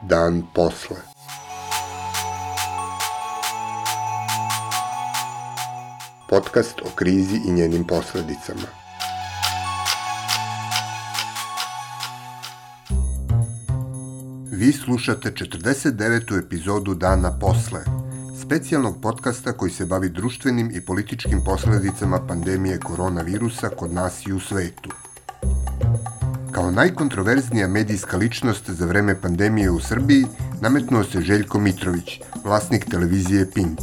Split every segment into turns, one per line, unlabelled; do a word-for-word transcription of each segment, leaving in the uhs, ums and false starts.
Dan posle. Podcast o krizi i njenim posledicama. Vi slušate četrdeset devetu epizodu Dana posle, specijalnog podcasta koji se bavi društvenim i političkim posledicama pandemije koronavirusa kod nas i u svetu. Kao najkontroverznija medijska ličnost za vreme pandemije u Srbiji nametnuo se Željko Mitrović, vlasnik televizije Pink.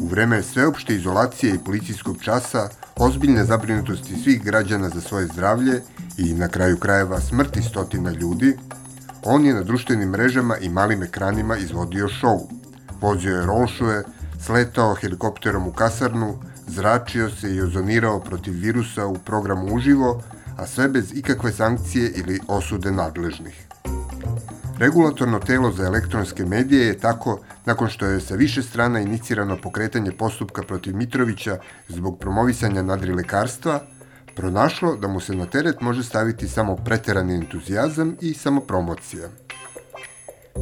U vreme sveopšte izolacije i policijskog časa, ozbiljne zabrinutosti svih građana za svoje zdravlje i na kraju krajeva smrti stotina ljudi, on je na društvenim mrežama i malim ekranima izvodio šou. Vozio je rolšuje, sletao helikopterom u kasarnu, zračio se i ozonirao protiv virusa u programu uživo, a sve bez ikakve sankcije ili osude nadležnih. Regulatorno telo za elektronske medije je tako, nakon što je sa više strana inicirano pokretanje postupka protiv Mitrovića zbog promovisanja nadrilekarstva, pronašlo da mu se na teret može staviti samo preterani entuzijazam i samopromocija.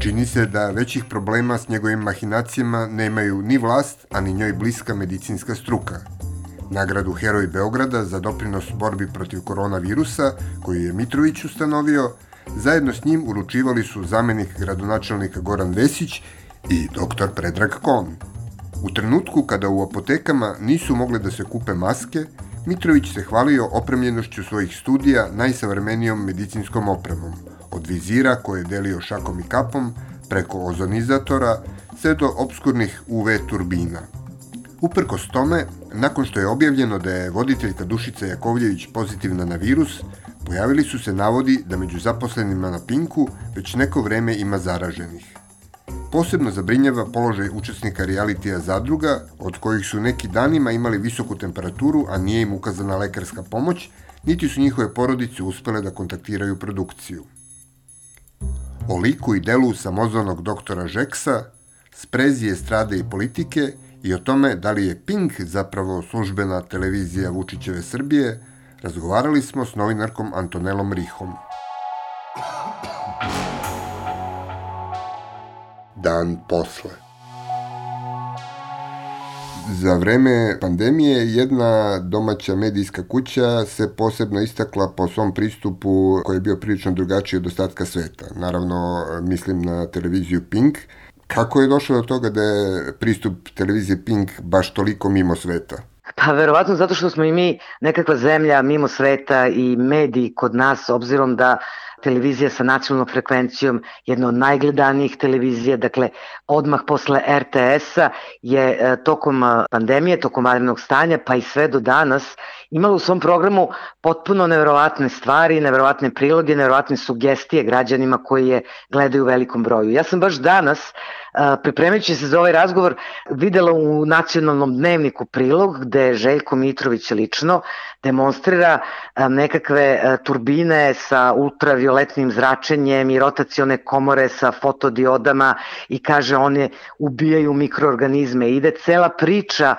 Čini se da većih problema s njegovim mahinacijama nemaju ni vlast, a ni njoj bliska medicinska struka. Nagradu Heroj Beograda za doprinos borbi protiv koronavirusa, koju je Mitrović ustanovio, zajedno s njim uručivali su zamenik gradonačelnika Goran Vesić i doktor Predrag Kon. U trenutku kada u apotekama nisu mogle da se kupe maske, Mitrović se hvalio opremljenošću svojih studija najsavremenijom medicinskom opremom, od vizira koje je delio šakom i kapom, preko ozonizatora, sve do obskurnih U V turbina. Uprkos tome, nakon što je objavljeno da je voditeljka Dušica Jakovljević pozitivna na virus, pojavili su se navodi da među zaposlenima na Pinku već neko vreme ima zaraženih. Posebno zabrinjava položaj učesnika realitija Zadruga, od kojih su neki danima imali visoku temperaturu, a nije im ukazana lekarska pomoć, niti su njihove porodice uspele da kontaktiraju produkciju. O liku i delu samozvanog doktora Žeksa, sprezi estrade i politike i o tome da li je Pink zapravo službena televizija Vučićeve Srbije, razgovarali smo s novinarkom Antonelom Rihom. Dan posle. Za vreme pandemije jedna domaća medijska kuća se posebno istakla po svom pristupu koji je bio prilično drugačiji od ostatka sveta. Naravno, mislim na televiziju Pink. Kako je došlo do toga da je pristup televizije Pink baš toliko mimo sveta?
Pa verovatno zato što smo i mi nekakva zemlja mimo sveta i mediji kod nas, obzirom da televizija sa nacionalnom frekvencijom, jedna od najgledanijih televizija, dakle odmah posle er te es-a je tokom pandemije, tokom vanrednog stanja, pa i sve do danas imala u svom programu potpuno neverovatne stvari, neverovatne priloge, neverovatne sugestije građanima koji je gledaju u velikom broju. Ja sam baš danas, pripremajući se za ovaj razgovor, videla u nacionalnom dnevniku prilog gde Željko Mitrović lično demonstrira nekakve turbine sa ultravioletnim zračenjem i rotacione komore sa fotodiodama i kaže one ubijaju mikroorganizme. Ide cela priča,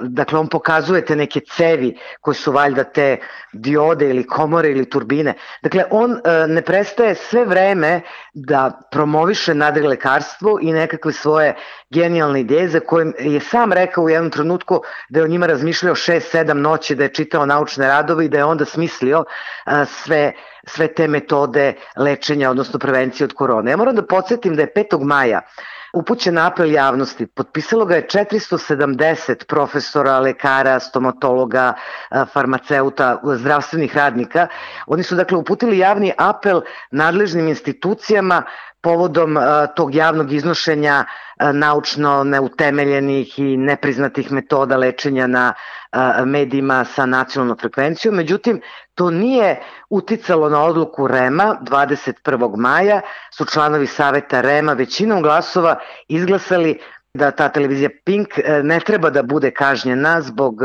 dakle on pokazuje te neke cevi koje su valjda te diode ili komore ili turbine. Dakle, on ne prestaje sve vreme da promoviše nadrilekarstvo i nekakve svoje genijalne ideje za koje je sam rekao u jednom trenutku da je o njima razmišljao šest sedam noći, da je čitao naučne radove i da je onda smislio sve, sve te metode lečenja, odnosno prevencije od korone. Ja moram da podsjetim da je petog maja upućen apel javnosti. Potpisalo ga je četiristo sedamdeset profesora, lekara, stomatologa, farmaceuta, zdravstvenih radnika. Oni su dakle uputili javni apel nadležnim institucijama povodom uh, tog javnog iznošenja uh, naučno neutemeljenih i nepriznatih metoda lečenja na uh, medijima sa nacionalnom frekvencijom. Međutim, to nije uticalo na odluku er e em-a. dvadeset prvog maja su članovi saveta er e em-a većinom glasova izglasali da ta televizija Pink ne treba da bude kažnjena zbog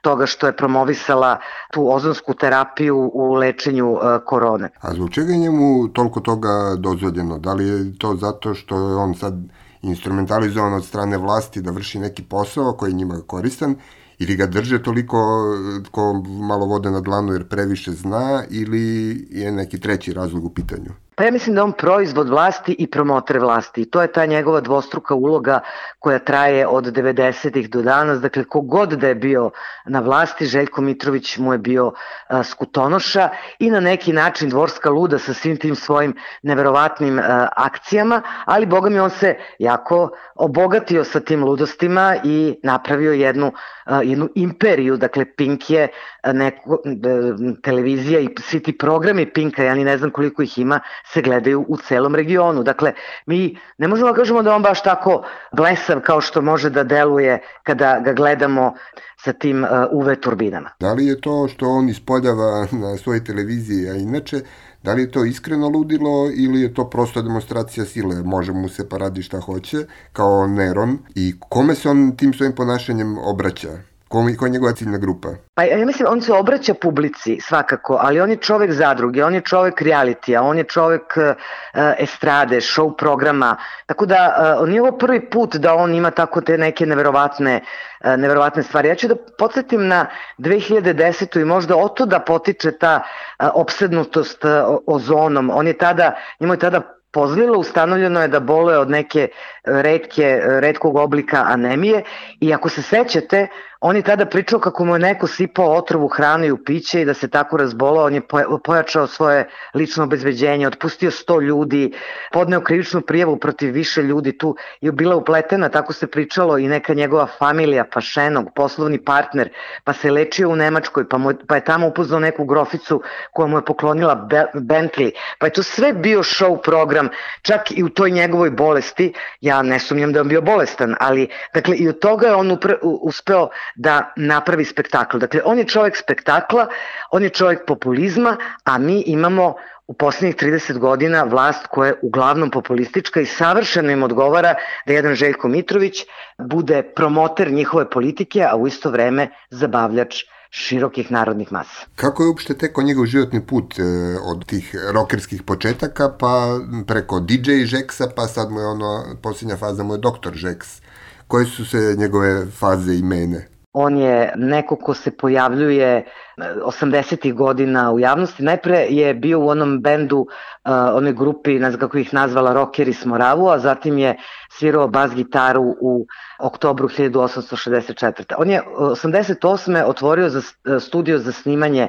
toga što je promovisala tu ozonsku terapiju u lečenju korone.
A zbog čega je njemu toliko toga dozvoljeno? Da li je to zato što je on sad instrumentalizovan od strane vlasti da vrši neki posao koji je njima koristan Ili ga drže toliko ko malo vode na dlanu jer previše zna, ili je neki treći razlog u pitanju?
Pa ja mislim da on proizvod vlasti i promoter vlasti. I to je ta njegova dvostruka uloga koja traje od devedesetih do danas. Dakle, kogod da je bio na vlasti, Željko Mitrović mu je bio a, skutonoša i na neki način dvorska luda sa svim tim svojim neverovatnim a, akcijama, ali boga mi on se jako obogatio sa tim ludostima i napravio jednu, a, jednu imperiju. Dakle, Pink je neko, a, televizija i svi ti programi Pinka, ja ni ne znam koliko ih ima, se gledaju u celom regionu. Dakle, mi ne možemo da kažemo da on baš tako blesav kao što može da deluje kada ga gledamo sa tim uh, U V turbinama.
Da li je to što on ispoljava na svojoj televiziji, a inače, da li je to iskreno ludilo ili je to prosto demonstracija sile? Može mu se pa radi šta hoće, kao Neron. I kome se on tim svojim ponašanjem obraća? Ko je njegova ciljna grupa?
Pa ja mislim, on se obraća publici svakako, ali on je čovek zadruge, on je čovek realitija, on je čovek uh, estrade, show programa, tako da uh, nije ovo prvi put da on ima tako te neke neverovatne, uh, neverovatne stvari. Ja ću da podsjetim na dve hiljade desetu i možda oto da potiče ta uh, opsednutost uh, ozonom. On je tada, njemu je tada pozlilo, ustanovljeno je da boluje od neke retke, retkog oblika anemije i ako se sećate, on je tada pričao kako mu je neko sipao otrov u hranu i u piće i da se tako razbolao, on je pojačao svoje lično obezbeđenje, otpustio sto ljudi, podneo krivičnu prijavu protiv više ljudi, tu je bila upletena, tako se pričalo i neka njegova familija, Pašenog, poslovni partner, pa se lečio u Nemačkoj, pa, mu, pa je tamo upoznao neku groficu koja mu je poklonila Bentley, pa je to sve bio show program, čak i u toj njegovoj bolesti, ja ne sumnjam da je on bio bolestan, ali dakle i od toga je on upre, uspeo da napravi spektakl. Dakle, on je čovjek spektakla, on je čovjek populizma, a mi imamo u posljednjih trideset godina vlast koja je uglavnom populistička i savršeno im odgovara da jedan Željko Mitrović bude promoter njihove politike, a u isto vreme zabavljač širokih narodnih masa.
Kako je uopšte tekao njegov životni put e, od tih rokerskih početaka pa preko D J Žeksa, pa sad mu je ono, posljednja faza mu je doktor Žeks. Koje su se njegove faze i mene?
On je neko ko se pojavljuje osamdesetih godina u javnosti. Najpre je bio u onom bendu, uh, onoj grupi, ne znam kako ih nazvala, Rockeri s Moravu, a zatim je svirao bas gitaru u oktobru hiljadu osamsto šezdeset četvrte. On je osamdeset osme otvorio za studio za snimanje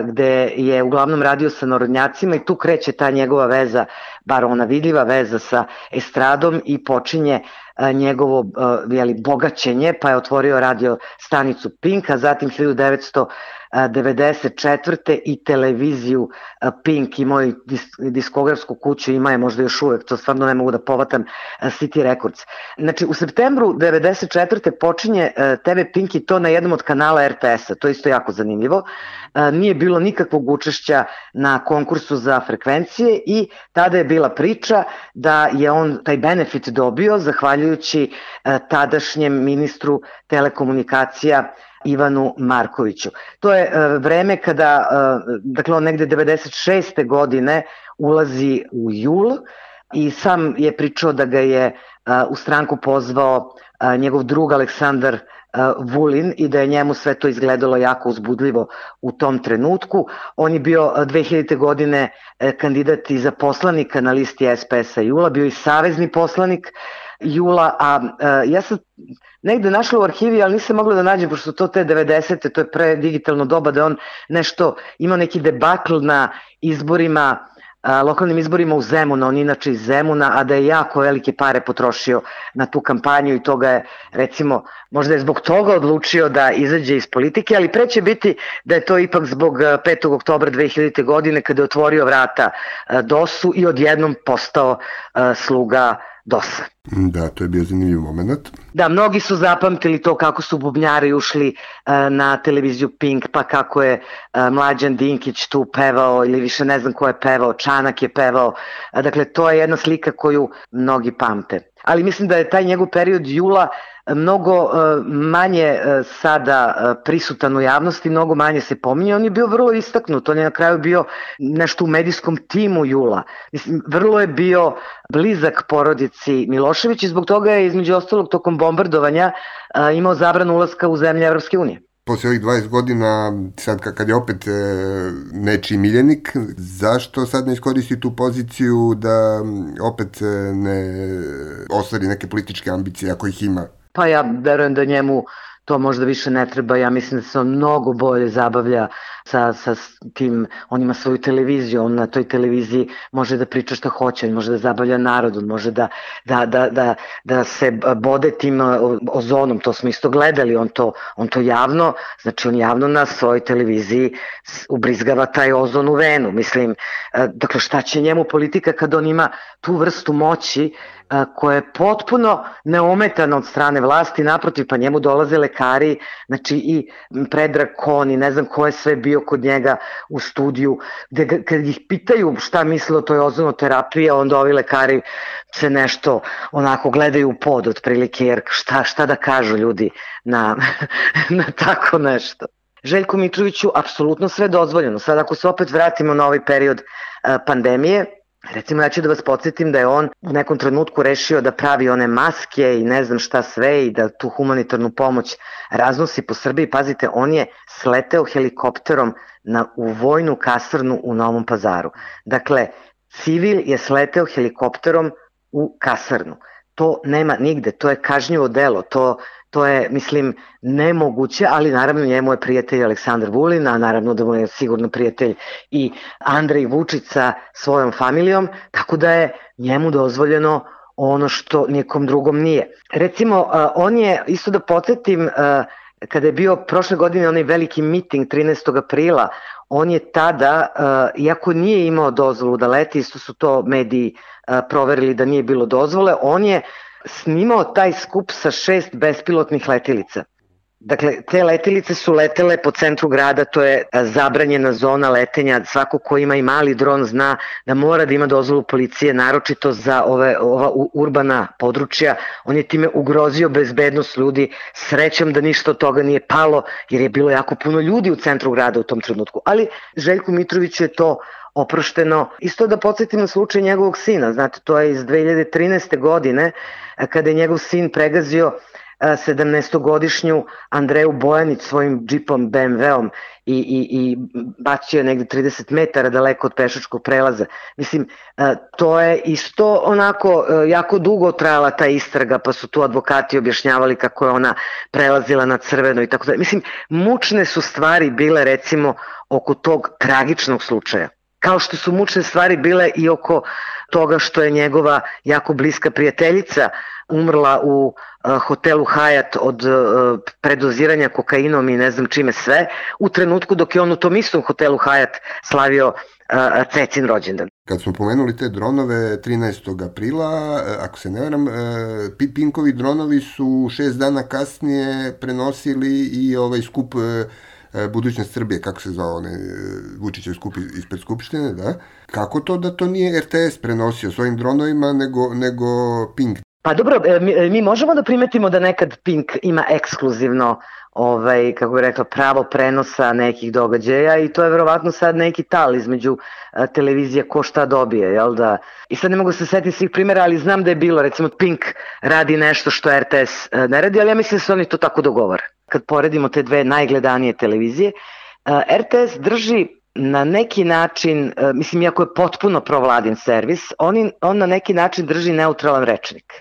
gde je uglavnom radio sa narodnjacima i tu kreće ta njegova veza, bar ona vidljiva veza sa estradom i počinje njegovo jeli, bogaćenje, pa je otvorio radio stanicu Pink, a zatim hiljadu devetsto devedeset četvrte i televiziju Pink, imao i diskografsku kuću, ima je možda još uvek, to stvarno ne mogu da povatam, City Records. Znači, u septembru devedeset četvrte počinje T V Pink i to na jednom od kanala R T S-a, to je isto jako zanimljivo. Nije bilo nikakvog učešća na konkursu za frekvencije i tada je bila priča da je on taj benefit dobio zahvaljujući tadašnjem ministru telekomunikacija Ivanu Markoviću. To je uh, vreme kada, uh, dakle on negde devedeset šeste godine ulazi u jul i sam je pričao da ga je uh, u stranku pozvao uh, njegov drug Aleksandar uh, Vulin i da je njemu sve to izgledalo jako uzbudljivo u tom trenutku. On je bio uh, dve hiljadite godine uh, kandidat i za poslanika na listi S P S-a Jula, bio i savezni poslanik Jula, a uh, ja sam negde našla u arhivi, ali nisam mogla da nađem, pošto su to te devedesete, to je pre digitalno doba, da on nešto imao neki debakl na izborima, a, lokalnim izborima u Zemunu, on inače iz Zemuna, a da je jako velike pare potrošio na tu kampanju i toga je, recimo, možda je zbog toga odlučio da izađe iz politike, ali pre će biti da je to ipak zbog petog oktobra dve hiljadite godine kada je otvorio vrata D O S-u i odjednom postao a, sluga D O S-a.
Da, to je bio zanimljiv moment.
Da, mnogi su zapamtili to kako su bubnjari ušli uh, na televiziju Pink, pa kako je uh, Mlađan Dinkić tu pevao ili više ne znam ko je pevao, Čanak je pevao. Uh, dakle, to je jedna slika koju mnogi pamte. Ali mislim da je taj njegov period jula mnogo manje sada prisutan u javnosti, mnogo manje se pominje. On je bio vrlo istaknut, on je na kraju bio nešto u medijskom timu jula. Mislim, vrlo je bio blizak porodici Milošević i zbog toga je između ostalog tokom bombardovanja imao zabranu ulaska u zemlje Evropske unije.
Posle ovih dvadeset godina, sad kad je opet e, nečiji miljenik, zašto sad ne iskoristi tu poziciju da opet ne ostvari neke političke ambicije ako ih ima?
Pa ja verujem da njemu to možda više ne treba, ja mislim da se on mnogo bolje zabavlja sa, sa tim, on ima svoju televiziju, on na toj televiziji može da priča šta hoće, on može da zabavlja narod, on može da, da, da, da, da se bode tim ozonom, to smo isto gledali, on to, on to javno, znači on javno na svojoj televiziji ubrizgava taj ozon u venu, mislim, dakle šta će njemu politika kad on ima tu vrstu moći koja je potpuno neometana od strane vlasti, naprotiv, pa njemu dolaze lekari, znači i Predrag Kon i ne znam ko je sve bio kod njega u studiju, gde kad ih pitaju šta misle o toj ozonoterapiji, onda ovi lekari se nešto onako gledaju u pod otprilike, jer šta, šta da kažu ljudi na, na tako nešto. Željku Mitroviću apsolutno sve dozvoljeno. Sad ako se opet vratimo na ovaj period pandemije, recimo ja ću da vas podsjetim da je on u nekom trenutku rešio da pravi one maske i ne znam šta sve i da tu humanitarnu pomoć raznosi po Srbiji. Pazite, on je sleteo helikopterom na, u vojnu kasarnu u Novom Pazaru. Dakle, civil je sleteo helikopterom u kasarnu. To nema nigde, to je kažnjivo delo, to, to je, mislim, nemoguće, ali naravno njemu je prijatelj Aleksandar Vulin, a naravno da mu je sigurno prijatelj i Andrej Vučić sa svojom familijom, tako da je njemu dozvoljeno ono što nikom drugom nije. Recimo, on je, isto da podsjetim, kada je bio prošle godine onaj veliki miting trinaestog aprila, on je tada, iako nije imao dozvolu da leti, isto su to mediji proverili da nije bilo dozvole, on je snimao taj skup sa šest bespilotnih letilica. Dakle, te letilice su letele po centru grada, to je zabranjena zona letenja, svako ko ima i mali dron zna da mora da ima dozvolu policije, naročito za ove, ova urbana područja. On je time ugrozio bezbednost ljudi, srećom da ništa od toga nije palo, jer je bilo jako puno ljudi u centru grada u tom trenutku. Ali Željku Mitroviću je to oprošteno. Isto da podsjetim na slučaj njegovog sina, znate, to je iz dve hiljade trinaeste. godine, kada je njegov sin pregazio sedamnaestogodišnju Andreju Bojanić svojim džipom be em ve-om i, i, i bacio negde trideset metara daleko od pešačkog prelaza. Mislim, to je isto onako jako dugo trajala ta istraga, pa su tu advokati objašnjavali kako je ona prelazila na crveno i tako da. Mislim, mučne su stvari bile recimo oko tog tragičnog slučaja. Kao što su mučne stvari bile i oko toga što je njegova jako bliska prijateljica umrla u uh, hotelu Hyatt od uh, predoziranja kokainom i ne znam čime sve, u trenutku dok je on u tom istom hotelu Hyatt slavio uh, Cecin rođendan.
Kad smo pomenuli te dronove trinaestog aprila, ako se ne varam, Pinkovi dronovi su šest dana kasnije prenosili i ovaj skup Budućnost Srbije, kako se zvao onaj Vučićev skup ispred Skupštine, da? Kako to da to nije er te es prenosio svojim dronovima nego, nego Pink?
Pa dobro, mi, mi možemo da primetimo da nekad Pink ima ekskluzivno ovaj, kako bih rekla, pravo prenosa nekih događaja i to je verovatno sad neki tal između a, televizije ko šta dobije, jel da? I sad ne mogu se setiti svih primjera, ali znam da je bilo, recimo Pink radi nešto što er te es a, ne radi, ali ja mislim da se oni to tako dogovore. Kad poredimo te dve najgledanije televizije, a, er te es drži na neki način, a, mislim, iako je potpuno provladin servis, on, on na neki način drži neutralan rečnik.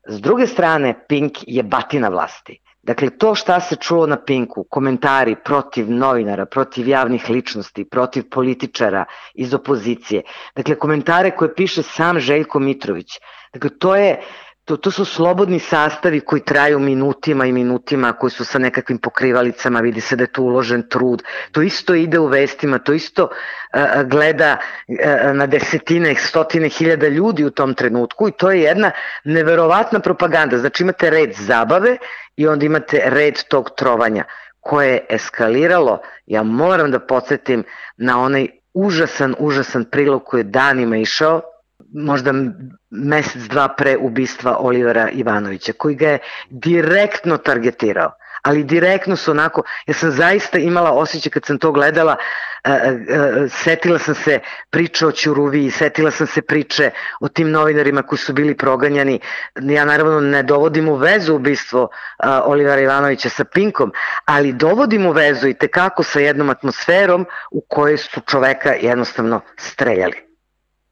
S druge strane, Pink je batina vlasti. Dakle, to šta se čulo na Pinku, komentari protiv novinara, protiv javnih ličnosti, protiv političara iz opozicije, dakle, komentare koje piše sam Željko Mitrović, dakle, to je To, to su slobodni sastavi koji traju minutima i minutima, koji su sa nekakvim pokrivalicama, vidi se da je tu uložen trud. To isto ide u vestima, to isto uh, gleda uh, na desetine, stotine hiljada ljudi u tom trenutku i to je jedna neverovatna propaganda. Znači imate red zabave i onda imate red tog trovanja koje je eskaliralo. Ja moram da podsjetim na onaj užasan, užasan prilog koji je danima išao možda mesec, dva pre ubistva Olivera Ivanovića, koji ga je direktno targetirao. Ali direktno su onako, ja sam zaista imala osjećaj kad sam to gledala, uh, uh, setila sam se priče o Ćuruviji, setila sam se priče o tim novinarima koji su bili proganjani. Ja naravno ne dovodim u vezu ubistvo uh, Olivera Ivanovića sa Pinkom, ali dovodim u vezu i tekako sa jednom atmosferom u kojoj su čoveka jednostavno streljali.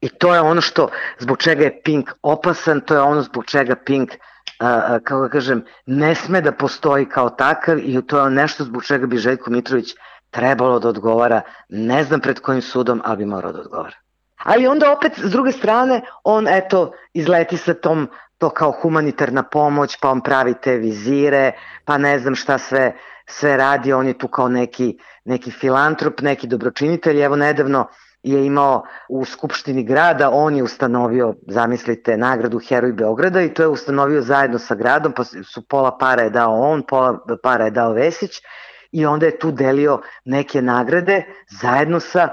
I to je ono što, zbog čega je Pink opasan, to je ono zbog čega Pink Uh, kako da kažem, ne sme da postoji kao takav i to je nešto zbog čega bi Željko Mitrović trebalo da odgovara, ne znam pred kojim sudom, ali bi morao da odgovara. Ali onda opet, s druge strane, on eto izleti sa tom, to kao humanitarna pomoć, pa on pravi te vizire, pa ne znam šta sve, sve radi, on je tu kao neki, neki filantrop, neki dobročinitelj, evo nedavno je imao u Skupštini grada, on je ustanovio, zamislite, nagradu Heroj Beograda i to je ustanovio zajedno sa gradom, pa su pola para je dao on, pola para je dao Vesić i onda je tu delio neke nagrade zajedno sa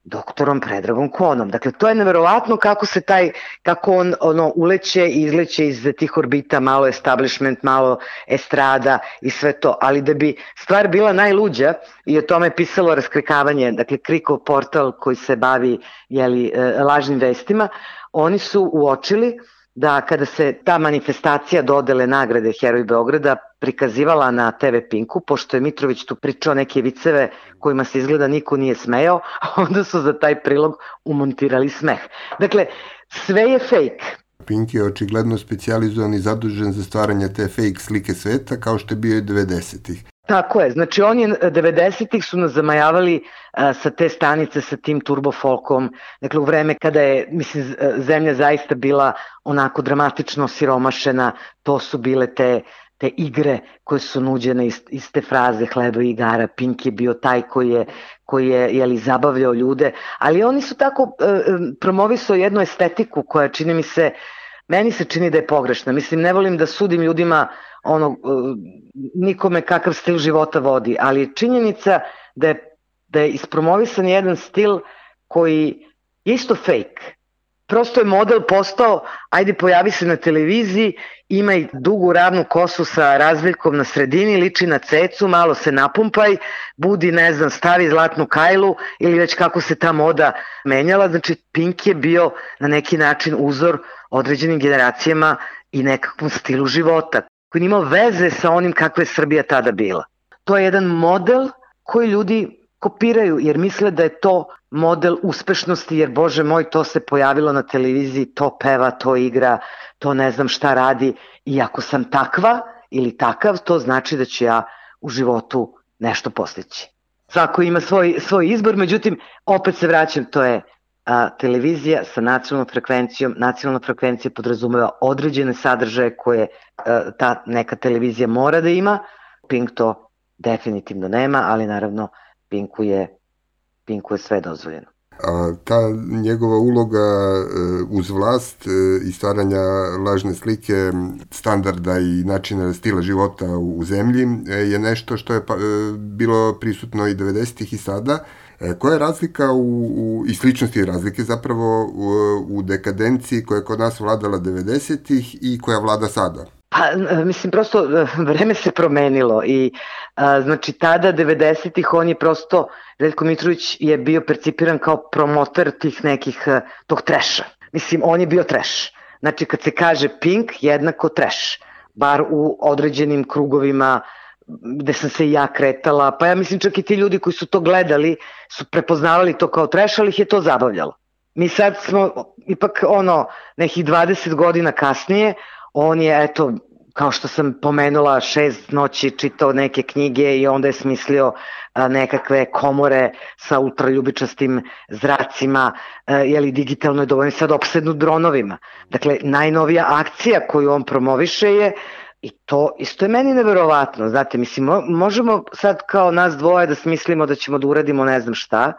doktorom Predragom Konom. Dakle, to je neverovatno kako se taj, kako on ono, uleće i izleće iz tih orbita, malo establishment, malo estrada i sve to, ali da bi stvar bila najluđa i o tome je pisalo Raskrikavanje, dakle Krikov portal koji se bavi jeli, lažnim vestima, oni su uočili da kada se ta manifestacija dodele nagrade Heroj Beograda prikazivala na te ve Pinku, pošto je Mitrović tu pričao neke viceve kojima se izgleda niko nije smejao, onda su za taj prilog umontirali smeh. Dakle, sve je fake.
Pink je očigledno specijalizovan i zadužen za stvaranje te fake slike sveta, kao što je bio i devedesetih.
Tako je, znači on je devedesetih su nas zamajavali a, sa te stanice sa tim turbofolkom, dakle u vreme kada je, mislim, zemlja zaista bila onako dramatično siromašena, to su bile te, te igre koje su nuđene iz, iz te fraze hleba i igara, Pink je bio taj koji je, koji je jeli, zabavljao ljude, ali oni su tako e, promovisao jednu estetiku koja čini mi se, meni se čini da je pogrešna, mislim ne volim da sudim ljudima ono, nikome kakav stil života vodi, ali je činjenica da je, da je ispromovisan jedan stil koji je isto fake. Prosto je model postao, ajde pojavi se na televiziji, ima i dugu ravnu kosu sa razveljkom na sredini, liči na cecu, malo se napumpaj, budi, ne znam, stavi zlatnu kajlu ili već kako se ta moda menjala. Znači Pink je bio na neki način uzor određenim generacijama i nekakvom stilu života koji nije imao veze sa onim kakva je Srbija tada bila. To je jedan model koji ljudi kopiraju jer misle da je to model uspešnosti, jer bože moj, to se pojavilo na televiziji, to peva, to igra, to ne znam šta radi i ako sam takva ili takav, to znači da ću ja u životu nešto postići. Svako ima svoj, svoj izbor, međutim, opet se vraćam, to je a, televizija sa nacionalnom frekvencijom. Nacionalna frekvencija podrazumeva određene sadržaje koje a, ta neka televizija mora da ima. Pink to definitivno nema, ali naravno Pinku je, Pinku je sve dozvoljeno.
A ta njegova uloga uz vlast i stvaranja lažne slike standarda i načina stila života u zemlji je nešto što je bilo prisutno i devedesetih i sada. Koja je razlika u, u, i sličnosti i razlike zapravo u, u dekadenciji koja je kod nas vladala devedesetih i koja vlada sada?
Pa, mislim, prosto vreme se promenilo i a, znači tada devedesetih on je prosto, Željko Mitrović je bio percipiran kao promotor tih nekih, tog treša. Mislim, on je bio treš. Znači kad se kaže Pink, jednako treš. Bar u određenim krugovima gde sam se i ja kretala, pa ja mislim čak i ti ljudi koji su to gledali su prepoznavali to kao treš, ali ih je to zabavljalo. Mi sad smo ipak ono nekih dvadeset godina kasnije, on je, eto, kao što sam pomenula, šest noći čitao neke knjige i onda je smislio a, nekakve komore sa ultraljubičastim zracima, a, jeli digitalno je dovoljno sad opsednut dronovima. Dakle, najnovija akcija koju on promoviše je, i to isto je meni neverovatno, znate, mislim, možemo sad kao nas dvoje da smislimo da ćemo da uradimo ne znam šta,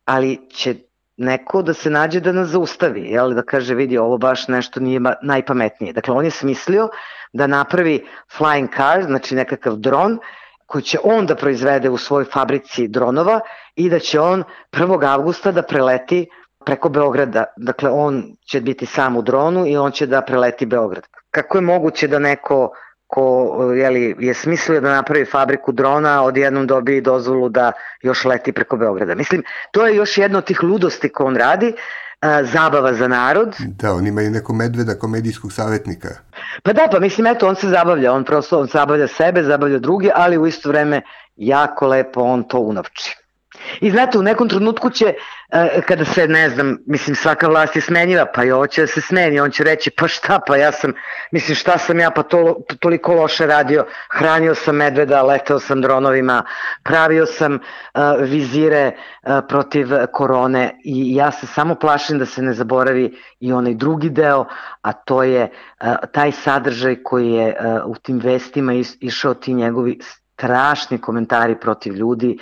ali će neko da se nađe da nas zaustavi, jel, da kaže vidi ovo baš nešto nije najpametnije. Dakle, on je smislio da napravi flying car, znači nekakav dron koji će on da proizvede u svojoj fabrici dronova i da će on prvog avgusta da preleti preko Beograda. Dakle, on će biti sam u dronu i on će da preleti Beograd. Kako je moguće da neko ko jeli, je smislio da napravi fabriku drona, odjednom dobije dozvolu da još leti preko Beograda? Mislim, to je još jedna od tih ludosti koje on radi, a, zabava za narod.
Da, on ima i neko medveda komedijskog savjetnika.
Pa da, pa mislim, eto, on se zabavlja, on prosto on zabavlja sebe, zabavlja druge, ali u isto vreme jako lepo on to unovči. I znate, u nekom trenutku će, kada se, ne znam, mislim, svaka vlast je smenjiva, pa i ovo će da se smeni, on će reći, pa šta, pa ja sam, mislim, šta sam ja, pa to, toliko loše radio, hranio sam medveda, leteo sam dronovima, pravio sam uh, vizire uh, protiv korone i ja se samo plašim da se ne zaboravi i onaj drugi deo, a to je uh, taj sadržaj koji je uh, u tim vestima is, išao ti njegovi strašni komentari protiv ljudi,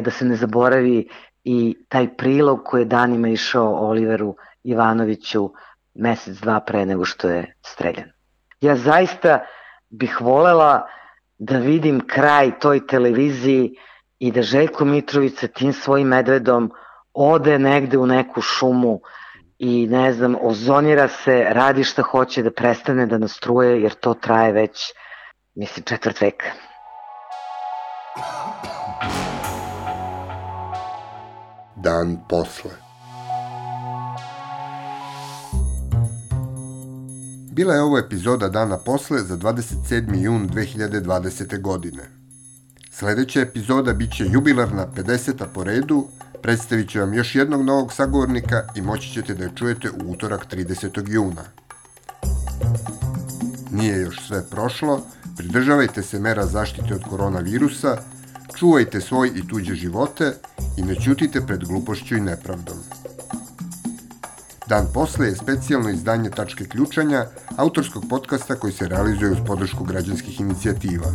da se ne zaboravi i taj prilog koji je danima išao Oliveru Ivanoviću mesec, dva pre nego što je streljan. Ja zaista bih volela da vidim kraj toj televiziji i da Željko Mitrović sa tim svojim medvedom ode negde u neku šumu i ne znam, ozonira se, radi šta hoće, da prestane da nas truje, jer to traje već, mislim, četvrt veka.
Dan posle. Bila je ovo epizoda Dana posle za dvadeset sedmi jun dve hiljade dvadesete. godine. Sledeća epizoda bit će jubilarna pedeseta po redu, predstavit ću vam još jednog novog sagovornika i moći ćete da je čujete u utorak tridesetog juna. Nije još sve prošlo, pridržavajte se mera zaštite od koronavirusa, čuvajte svoj i tuđe živote i ne ćutite pred glupošću i nepravdom. Dan posle je specijalno izdanje Tačke ključanja, autorskog podcasta koji se realizuje uz podršku građanskih inicijativa.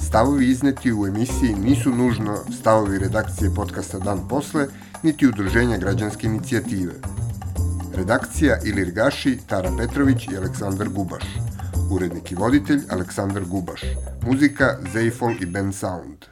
Stavovi izneti u emisiji nisu nužno stavovi redakcije podcasta Dan posle, niti udruženja građanske inicijative. Redakcija Ilir Gaši, Tara Petrović i Aleksandar Gubaš. Urednik i voditelj Aleksandar Gubaš. Muzika Zeifol i Ben Sound.